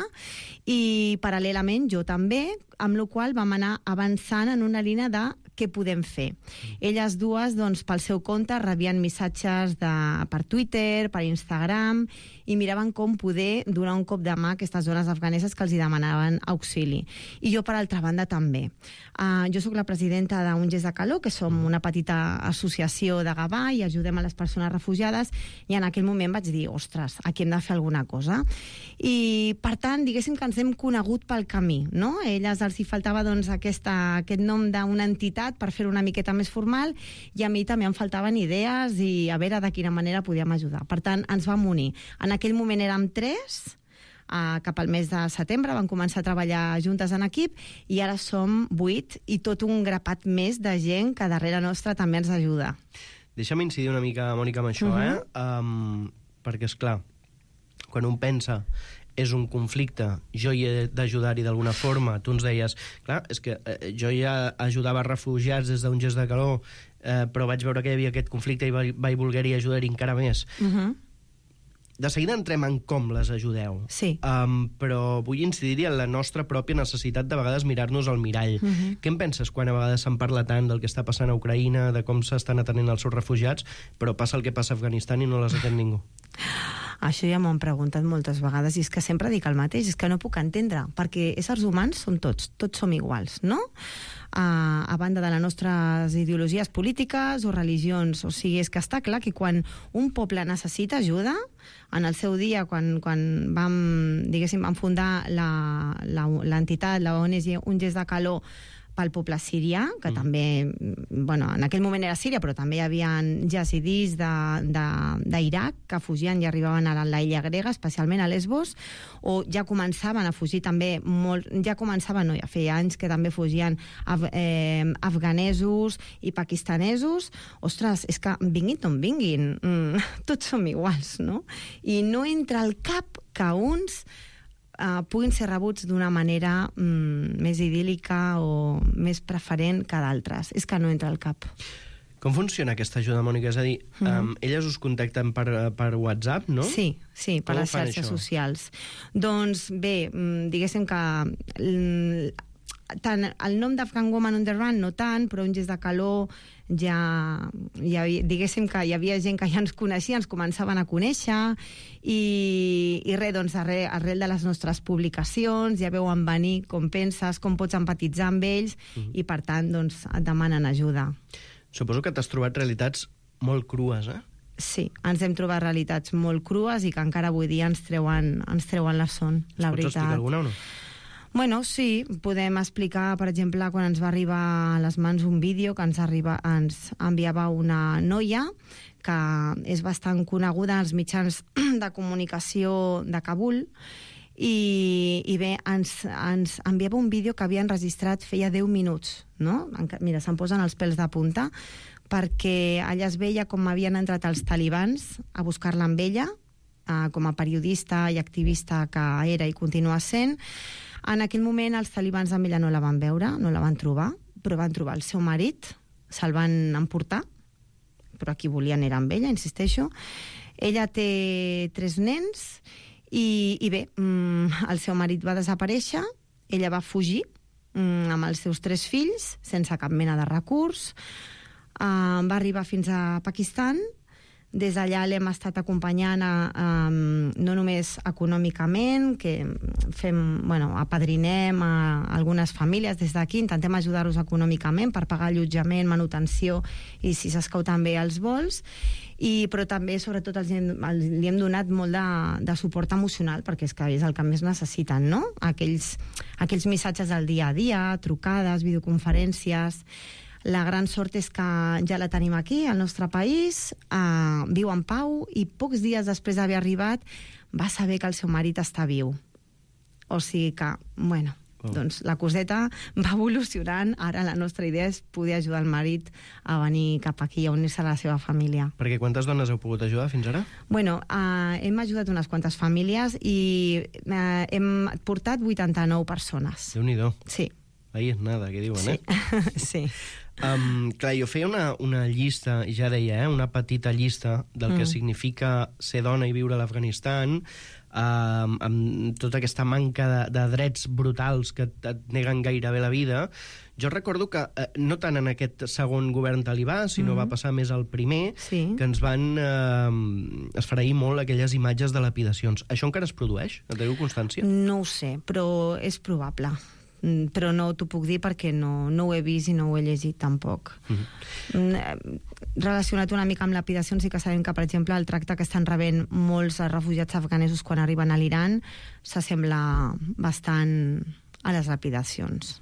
i paral·lelament jo també, amb la qual vam anar avançant en una línia de què podem fer. Elles dues, doncs, pel seu compte, rebien missatges de, per Twitter, per Instagram, i miraven com poder donar un cop de mà a aquestes dones afganeses que els hi demanaven auxili. I jo, per altra banda, també. Uh, jo sóc la presidenta d'Un Gest de Calor, que som una petita associació de Gavà i ajudem a les persones refugiades, i en aquell moment vaig dir, ostres, aquí hem de fer alguna cosa. I, per tant, diguéssim que ens hem conegut pel camí, no? A elles els hi faltava, doncs, aquesta, aquest nom d'una entitat per fer una miqueta més formal, i a mi també em faltaven idees i a veure de quina manera podíem ajudar. Per tant, ens vam unir. En aquell moment érem tres, Uh, cap al mes de setembre van començar a treballar juntes en equip i ara som vuit i tot un grapat més de gent que darrere nostra també ens ajuda. Deixa'm incidir una mica, Mònica, amb això, uh -huh. eh? Um, perquè, és clar, quan un pensa és un conflicte, jo hi he d'ajudar-hi d'alguna forma, tu ens deies, clar, és que eh, jo ja ajudava refugiats des d'un gest de calor, eh, però vaig veure que hi havia aquest conflicte i vaig, vaig voler-hi ajudar-hi encara més. Uh -huh. De seguida entrem en com les ajudeu. Sí. Um, però vull incidir-hi en la nostra pròpia necessitat de vegades mirar-nos al mirall. Uh -huh. Què en penses quan a vegades se'n parla tant del que està passant a Ucraïna, de com s'estan atenent els seus refugiats, però passa el que passa a Afganistan i no les atén ningú? Això ja m'ho han preguntat moltes vegades i és que sempre dic el mateix, és que no puc entendre, perquè éssers humans som tots, tots som iguals, no? Uh, a banda de les nostres ideologies polítiques o religions. O sigui, és que està clar que quan un poble necessita ajuda, en el seu dia, quan, quan vam, diguéssim, vam fundar l'entitat, la O N G Un Gest de Calor, pel poble sirià, que mm. també, bueno, en aquell moment era Síria, però també hi havia yazidis d'Iraq que fugien i arribaven a l'illa grega, especialment a Lesbos, o ja començaven a fugir també, molt, ja començaven, no, ja feia anys que també fugien af, eh, afganesos i pakistanesos. Ostres, és que vinguin on vinguin, mm, tots som iguals, no? I no entra al cap que uns Uh, puguin ser rebuts d'una manera mm, més idíl·lica o més preferent que d'altres. És que no entra al cap. Com funciona aquesta ajuda, Mònica? És a dir, mm. um, elles us contacten per, per WhatsApp, no? Sí, sí, per les xarxes això? socials. Doncs bé, diguéssim que tant el nom d'Afghan Woman on the Run no tant, però Un Gest de Calor ja, ja diguéssim que hi havia gent que ja ens coneixia, ens començaven a conèixer i, i res, doncs arrel, arrel de les nostres publicacions ja veuen venir com penses, com pots empatitzar amb ells mm. i per tant doncs et demanen ajuda. Suposo que t'has trobat realitats molt crues, eh? Sí, ens hem trobat realitats molt crues i que encara avui dia ens treuen, ens treuen la son, la veritat. Pots explicar alguna o no? Bueno, sí, podem explicar, per exemple, quan ens va arribar a les mans un vídeo que ens, arriba, ens enviava una noia que és bastant coneguda als mitjans de comunicació de Kabul i, i bé, ens, ens enviava un vídeo que havia enregistrat feia deu minuts, no? Mira, se'm posen els pèls de punta, perquè allà es veia com havien entrat els talibans a buscar-la amb ella, eh, com a periodista i activista que era i continua sent. En aquell moment els talibans amb ella no la van veure, no la van trobar, però van trobar el seu marit, se'l van emportar, però qui volien era amb ella, insisteixo. Ella té tres nens i, i bé, el seu marit va desaparèixer, ella va fugir amb els seus tres fills, sense cap mena de recurs, va arribar fins a Pakistan. Des d'allà l'hem estat acompanyant a, a, no només econòmicament, que fem, bueno, apadrinem a algunes famílies des d'aquí, intentem ajudar-los econòmicament per pagar allotjament, manutenció i, si s'escau, també els vols, i, però també, sobretot, els, els, li hem donat molt de, de suport emocional, perquè és que és el que més necessiten, no? Aquells, aquells missatges del dia a dia, trucades, videoconferències. La gran sort és que ja la tenim aquí, al nostre país, eh, viu en pau i pocs dies després d'haver arribat va saber que el seu marit està viu. O sigui que, bueno, oh. doncs la coseta va evolucionant. Ara la nostra idea és poder ajudar el marit a venir cap aquí, a unir-se a la seva família. Perquè quantes dones heu pogut ajudar fins ara? Bueno, eh, hem ajudat unes quantes famílies i eh, hem portat vuitanta-nou persones. Déu-n'hi-do. Sí. Ahí és nada, que diuen, sí. eh? Sí. Um, clar, jo feia una, una llista, ja deia, eh, una petita llista del mm. que significa ser dona i viure a l'Afganistan, um, amb tota aquesta manca de, de drets brutals que et, et neguen gairebé la vida. Jo recordo que, eh, no tant en aquest segon govern talibà, sinó mm. va passar més al primer, sí. que ens van eh, esfereir molt aquelles imatges de lapidacions. Això encara es produeix? En teniu constància? No ho sé, però és probable. Però no t'ho puc dir perquè no, no ho he vist i no ho he llegit tampoc. Mm-hmm. Relacionat una mica amb lapidacions, sí que sabem que, per exemple, el tracte que estan rebent molts refugiats afganesos quan arriben a l'Iran s'assembla bastant a les lapidacions.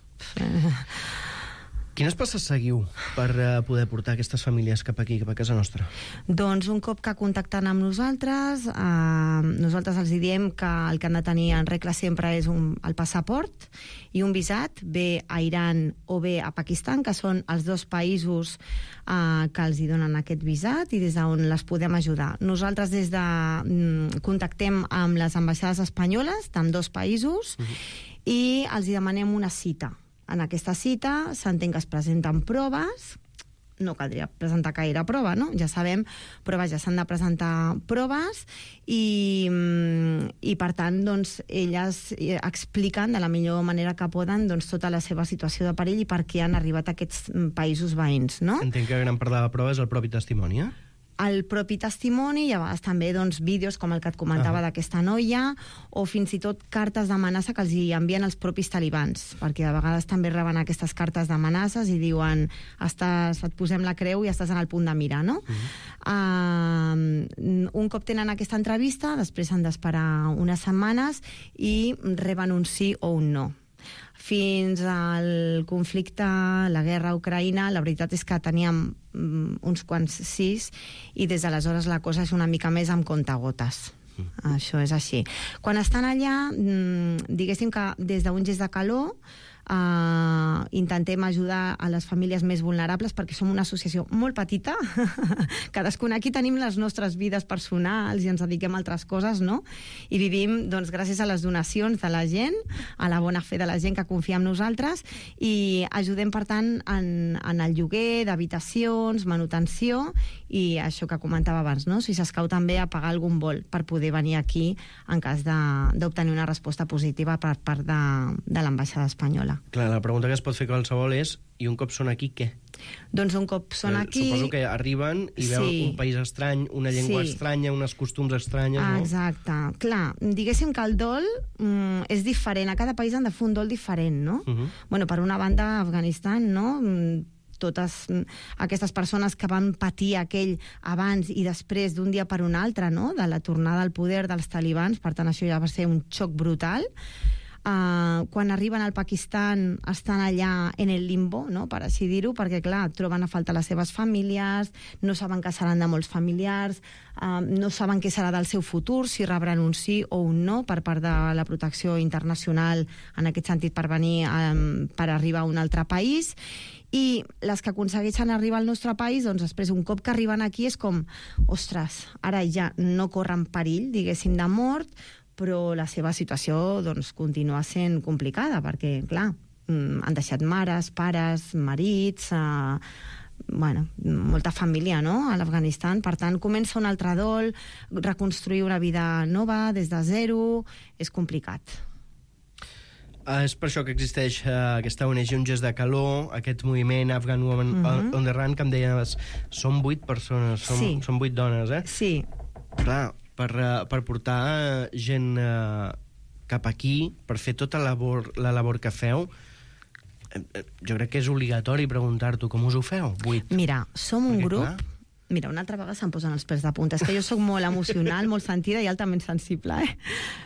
Quines passes seguiu per uh, poder portar aquestes famílies cap aquí, cap a casa nostra? Doncs un cop que contacten amb nosaltres, eh, nosaltres els diem que el que han de tenir en regla sempre és un, el passaport i un visat, bé a Iran o bé a Pakistan, que són els dos països eh, que els hi donen aquest visat i des d'on les podem ajudar. Nosaltres des de mm, contactem amb les ambaixades espanyoles d'ambdós països uh-huh. i els hi demanem una cita. En aquesta cita s'entén que es presenten proves, no caldria presentar gaire prova, no? Ja sabem, però vaja, s'han de presentar proves i, i per tant, doncs, elles expliquen de la millor manera que poden doncs, tota la seva situació de perill i per què han arribat a aquests països veïns, no? Entenc que gran part de la prova és el propi testimoni, eh? El propi testimoni i a vegades també doncs, vídeos com el que et comentava uh-huh. d'aquesta noia o fins i tot cartes d'amenaça que els hi envien els propis talibans, perquè a vegades també reben aquestes cartes d'amenaces i diuen estàs, et posem la creu i estàs en el punt de mira, no? Uh-huh. Uh, un cop tenen aquesta entrevista, després han d'esperar unes setmanes i reben un sí o un no. Fins al conflicte, la guerra a Ucraïna, la veritat és que teníem um, uns quants sis i des d'aleshores la cosa és una mica més amb comptagotes. Mm. Això és així. Quan estan allà, diguéssim que des d'un gest de calor Uh, intentem ajudar a les famílies més vulnerables perquè som una associació molt petita cadascun aquí tenim les nostres vides personals i ens dediquem a altres coses, no? I vivim doncs, gràcies a les donacions de la gent, a la bona fe de la gent que confia en nosaltres i ajudem per tant en, en el lloguer d'habitacions, manutenció i això que comentava abans, no? Si s'escau també a pagar algun vol per poder venir aquí en cas d'obtenir una resposta positiva per part de, de l'ambaixada espanyola. Clar, la pregunta que es pot fer qualsevol és i un cop són aquí, què? Doncs un cop són aquí... Suposo que arriben i veuen sí. un país estrany, una llengua sí. estranya, uns costums estranyes, no? Exacte. Clar, diguéssim que el dol mm, és diferent. A cada país han de fer un dol diferent, no? Uh-huh. Bueno, per una banda, Afganistan, no?, totes aquestes persones que van patir aquell abans i després d'un dia per un altre, no?, de la tornada al poder dels talibans, per tant això ja va ser un xoc brutal. Uh, quan arriben al Pakistan estan allà en el limbo, no?, per així dir-ho, perquè clar, troben a faltar les seves famílies, no saben que seran de molts familiars, uh, no saben què serà del seu futur, si rebran un sí o un no per part de la protecció internacional, en aquest sentit per venir um, per arribar a un altre país. I les que aconsegueixen arribar al nostre país, doncs després, un cop que arriben aquí, és com, ostres, ara ja no corren perill, diguéssim, de mort, però la seva situació doncs, continua sent complicada, perquè, clar, han deixat mares, pares, marits, eh, bueno, molta família, no?, a l'Afganistan. Per tant, comença un altre dol, reconstruir una vida nova des de zero, és complicat. Uh, és per això que existeix uh, aquesta O N G, un gest de calor, aquest moviment Afghan Women uh-huh. on the Run, que em deies, són vuit persones, són, sí. són vuit dones, eh? Sí. Clar, per, uh, per portar uh, gent uh, cap aquí, per fer tota la labor, la labor que feu, uh, jo crec que és obligatori preguntar-t'ho com us ho feu, vuit. Mira, som un Perquè, grup... Clar... Mira, una altra vegada se'm posen els pèls de punta. És que jo sóc molt emocional, molt sentida i altament sensible, eh?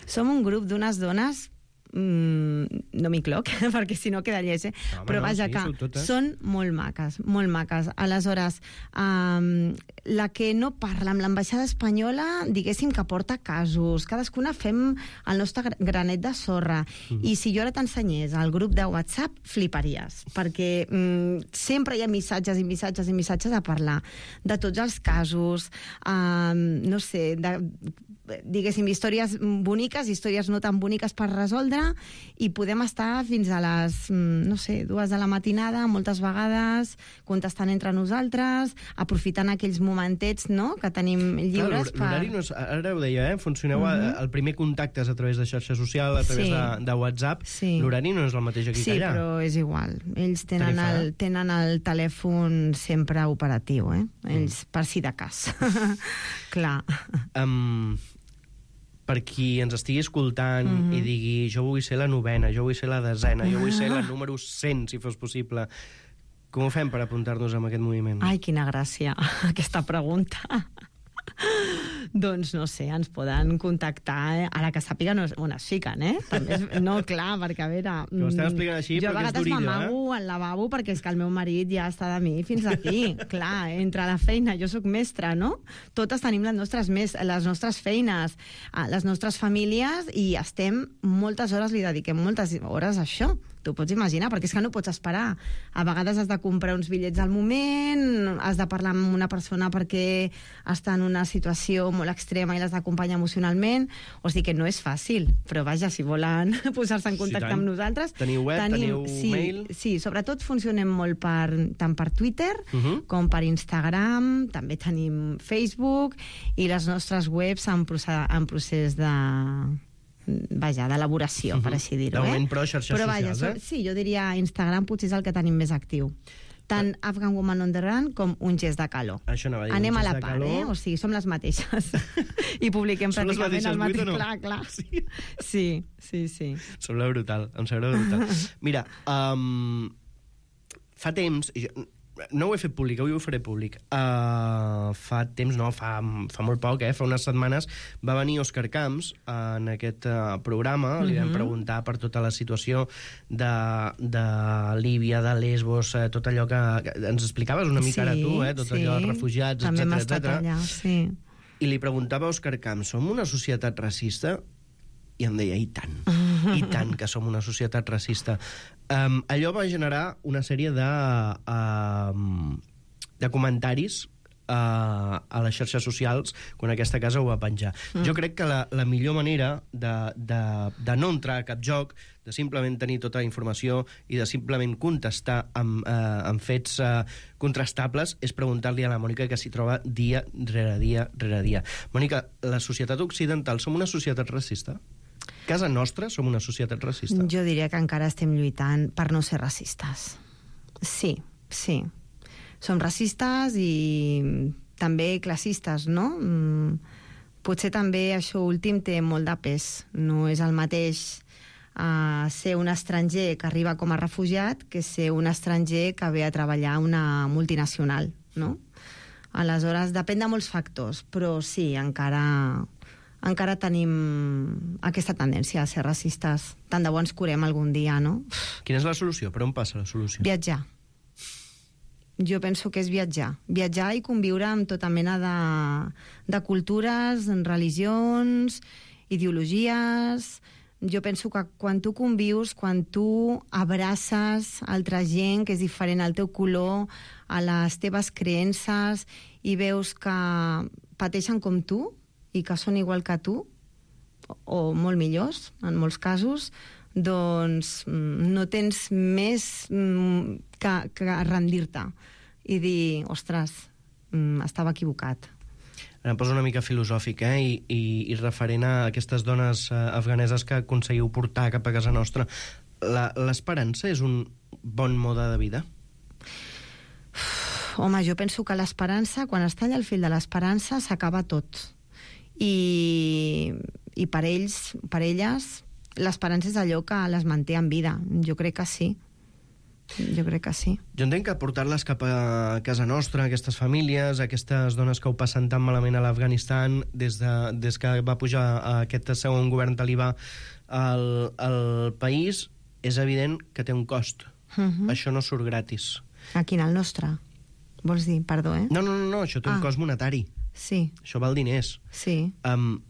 Som un grup d'unes dones... Mm, no m'hi cloc, perquè si no queda lleig, eh? Home, però no, vaja sí, que són molt maques, molt maques. Aleshores, um, la que no parla amb l'ambaixada espanyola, diguéssim que porta casos, cadascuna fem el nostre granet de sorra, mm. i si jo ara t'ensenyés al grup de WhatsApp, fliparies, perquè mm, sempre hi ha missatges i missatges i missatges a parlar de tots els casos, um, no sé, de, diguéssim, històries boniques, històries no tan boniques per resoldre, i podem estar fins a les, no sé, dues de la matinada, moltes vegades, contestant entre nosaltres, aprofitant aquells momentets, no?, que tenim lliures. Clar, l'horari no és, ara ho deia, eh? Funcioneu, uh-huh. el primer contacte és a través de xarxa social, a través sí. de, de WhatsApp, sí. l'horari no és el mateix aquí sí, que allà. Sí, però és igual. Ells tenen el, tenen el telèfon sempre operatiu, eh? Ells, mm. per si de cas. Clar. Um... per qui ens estigui escoltant mm-hmm. i digui jo vull ser la novena, jo vull ser la desena, jo vull ser la número cent, si fos possible. Com ho fem per apuntar-nos en aquest moviment? Ai, quina gràcia, aquesta pregunta. doncs no sé, ens poden contactar, eh? Ara que sàpiguen on es fiquen, eh? També és, no, clar, perquè a veure... Que ho estem explicant així, jo a perquè és vegades durillo, m'amago eh? al lavabo perquè és que el meu marit ja està de mi fins aquí. Clar, entre la feina, jo sóc mestra, no? Totes tenim les nostres, mes, les nostres feines, les nostres famílies, i estem moltes hores, li dediquem moltes hores a això. T'ho pots imaginar, perquè és que no pots esperar. A vegades has de comprar uns bitllets al moment, has de parlar amb una persona perquè està en una situació molt extrema i l'has d'acompanyar emocionalment, o sigui que no és fàcil, però vaja, si volen posar-se en contacte sí, amb nosaltres... Teniu web, tenim, teniu sí, mail... Sí, sobretot funcionem molt per, tant per Twitter uh -huh. com per Instagram, també tenim Facebook, i les nostres webs en procés, en procés de... vaja, d'elaboració, uh -huh. per així dir-ho. De moment, eh? però, xarxes però, vaja, socials, eh? Sí, jo diria Instagram potser és el que tenim més actiu. Tant Afghan Woman on the Run com Un gest de calor. Això anava a dir, Anem un a gest la de part, calor. eh? O sigui, som les mateixes. I publiquem Són les pràcticament el mateixes mateix. vuit o no? Clar, clar. Sí, sí, sí. sí. Sembla brutal, em sembla brutal. Mira, um, fa temps... i jo, no ho he fet públic, avui ho faré públic. Uh, fa temps, no, fa, fa molt poc, eh? Fa unes setmanes va venir Òscar Camps en aquest uh, programa. Li vam Mhm. preguntar per tota la situació de, de Líbia, de Lesbos, eh, tot allò que, que ens explicaves una mica Sí, ara tu, eh? Tot sí. allò dels refugiats, També hem etcètera, estat etcètera. allà, sí. I li preguntava a Òscar Camps, som una societat racista? I em deia, i tant, i tant que som una societat racista. Um, allò va generar una sèrie de, um, de comentaris uh, a les xarxes socials quan aquesta casa ho va penjar. Mm. Jo crec que la, la millor manera de, de, de no entrar a cap joc, de simplement tenir tota la informació i de simplement contestar amb, uh, amb fets uh, contrastables és preguntar-li a la Mònica, que s'hi troba dia rere dia rere dia. Mònica, la societat occidental som una societat racista? Casa nostra som una societat racista? Jo diria que encara estem lluitant per no ser racistes. Sí, sí. Som racistes i també classistes, no? Mm, potser també això últim té molt de pes. No és el mateix uh, ser un estranger que arriba com a refugiat que ser un estranger que ve a treballar a una multinacional, no? Aleshores, depèn de molts factors, però sí, encara... encara tenim aquesta tendència a ser racistes. Tant de bo ens curem algun dia, no? Quina és la solució? Per on passa la solució? Viatjar. Jo penso que és viatjar. Viatjar i conviure amb tota mena de, de cultures, religions, ideologies... Jo penso que quan tu convius, quan tu abraces altra gent que és diferent al teu color, a les teves creences, i veus que pateixen com tu, i que són igual que tu, o molt millors, en molts casos, doncs no tens més que, que rendir-te i dir, ostres, estava equivocat. Ara em poso una mica filosòfic, eh? I, i, i referent a aquestes dones eh, afganeses que aconseguiu portar cap a casa nostra. L'esperança és un bon mode de vida? Home, jo penso que l'esperança, quan es talla el fil de l'esperança, s'acaba tot. I, i per ells, per elles, l'esperança és allò que les manté en vida. Jo crec que sí. Jo crec que sí. Jo entenc que portar-les cap a casa nostra, aquestes famílies, aquestes dones que ho passen tan malament a l'Afganistan, des, de, des que va pujar aquest segon govern talibà al, al país, és evident que té un cost. Uh-huh. Això no surt gratis. A quin, el nostre? Vols dir, perdó, eh? No, no, no, no això té ah. un cost monetari. Sí. Això val diners. Sí. Um,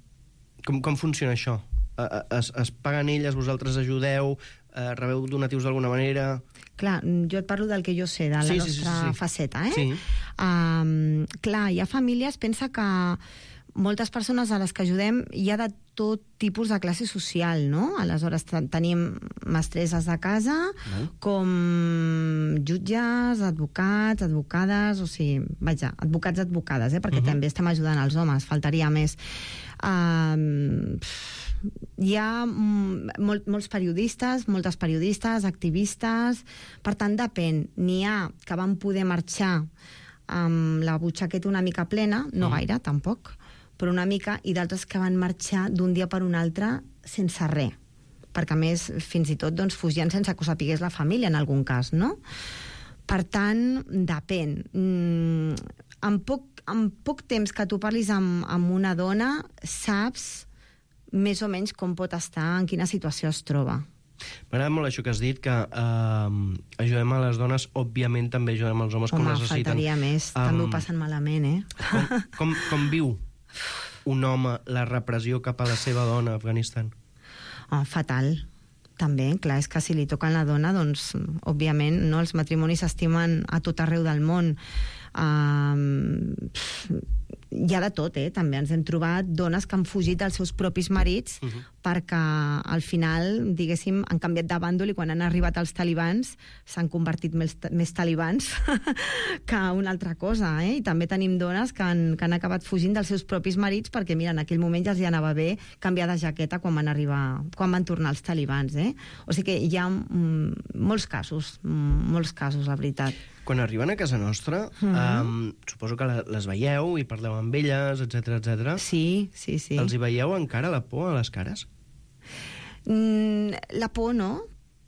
com, com funciona això? Es, es paguen elles, vosaltres ajudeu, eh, rebeu donatius d'alguna manera? Clar, jo et parlo del que jo sé, de la sí, nostra sí, sí, sí. faceta, eh? Sí. Um, clar, hi ha famílies, pensa que moltes persones a les que ajudem hi ha de tot tipus de classe social, no? Aleshores tenim mestresses de casa, no. com jutges, advocats, advocades, o sigui, vaja, advocats, advocades, eh? Perquè uh-huh. també estem ajudant els homes, faltaria més. Um, hi ha mol, molts periodistes, moltes periodistes, activistes, per tant depèn. N'hi ha que van poder marxar amb la butxaqueta una mica plena, no mm. gaire, tampoc, però una mica, i d'altres que van marxar d'un dia per un altre sense res, perquè a més fins i tot doncs, fugien sense que ho sapigués la família en algun cas, no? Per tant, depèn. Mm, amb poc en poc temps que tu parlis amb, amb una dona, saps més o menys com pot estar, en quina situació es troba. M'agrada molt això que has dit, que uh, ajudem a les dones, òbviament també ajudem als homes. Home, com necessiten. faltaria més, um, també ho passen malament, eh? Com, com, com viu un home la repressió cap a la seva dona a Afganistan? Oh, fatal, també. Clar, és que si li toquen la dona, doncs, òbviament, no, els matrimonis s'estimen a tot arreu del món. Um, hi ha de tot, eh? També ens hem trobat dones que han fugit dels seus propis marits uh-huh. perquè al final, diguéssim, han canviat de bàndol i quan han arribat els talibans s'han convertit més, més talibans que una altra cosa, eh? I també tenim dones que han, que han acabat fugint dels seus propis marits perquè, mira, en aquell moment ja els hi anava bé canviar de jaqueta quan van arribar, quan van tornar els talibans, eh? O sigui que hi ha mm, molts casos, mm, molts casos, la veritat. Quan arriben a casa nostra, mm-hmm. um, suposo que les veieu i parleu amb elles, etcètera, etcètera. Sí, sí, sí. Els hi veieu encara la por a les cares? Mm, la por no,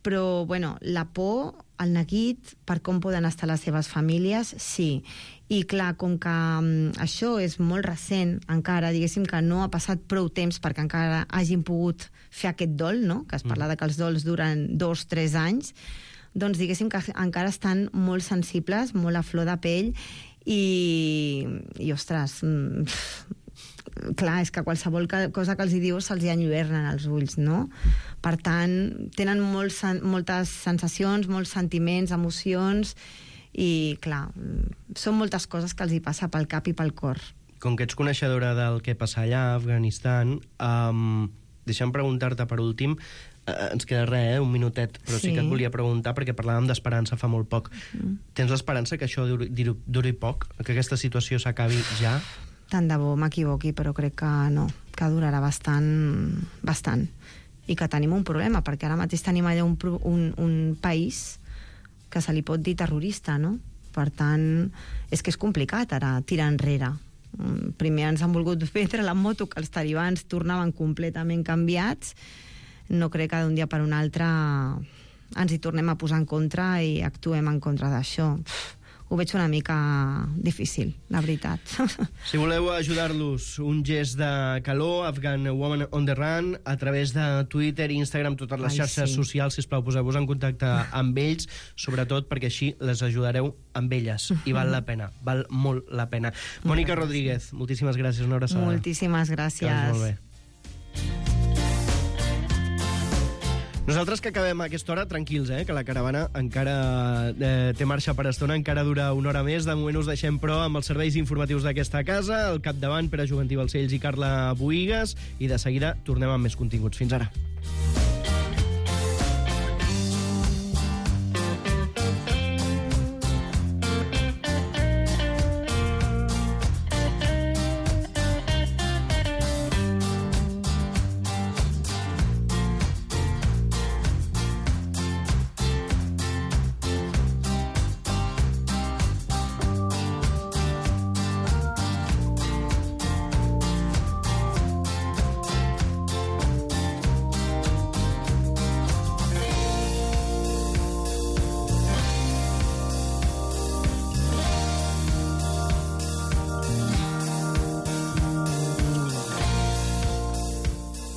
però, bueno, la por, el neguit, per com poden estar les seves famílies, sí. I, clar, com que um, això és molt recent, encara, diguéssim que no ha passat prou temps perquè encara hagin pogut fer aquest dol, no?, que es parla mm. de que els dols duren dos, tres anys, doncs diguéssim que encara estan molt sensibles, molt a flor de pell i, i ostres, mm, clar, és que qualsevol cosa que els hi dius se'ls hi enlluernen els ulls, no? Per tant, tenen molt, moltes sensacions, molts sentiments, emocions i, clar, són moltes coses que els hi passa pel cap i pel cor. Com que ets coneixedora del que passa allà a Afganistan, um, deixa'm preguntar-te per últim, Uh, ens queda res, eh? un minutet, però sí. sí que et volia preguntar, perquè parlàvem d'esperança fa molt poc. Mm. Tens l'esperança que això duri, duri poc? Que aquesta situació s'acabi ja? Tant de bo m'equivoqui, però crec que no, que durarà bastant, bastant. I que tenim un problema, perquè ara mateix tenim allà un, un, un país que se li pot dir terrorista, no? Per tant, és que és complicat ara tirar enrere. Primer ens han volgut vendre la moto que els talibans tornaven completament canviats. No crec que d'un dia per un altre ens hi tornem a posar en contra i actuem en contra d'això. Ho veig una mica difícil, la veritat. Si voleu ajudar-los, un gest de calor, Afghan Woman on the Run, a través de Twitter, Instagram, totes les Ai, xarxes sí. socials, sisplau, poseu-vos en contacte amb ells, sobretot perquè així les ajudareu amb elles, i val la pena, val molt la pena. Mònica Rodríguez, moltíssimes gràcies, una abraçada. Moltíssimes gràcies. Que vagi molt bé. Nosaltres que acabem a aquesta hora, tranquils, eh? Que la caravana encara eh, té marxa per estona, encara dura una hora més. De moment us deixem, però, amb els serveis informatius d'aquesta casa, al capdavant Pere Juventí Balcells i Carla Boïgues, i de seguida tornem amb més continguts. Fins ara.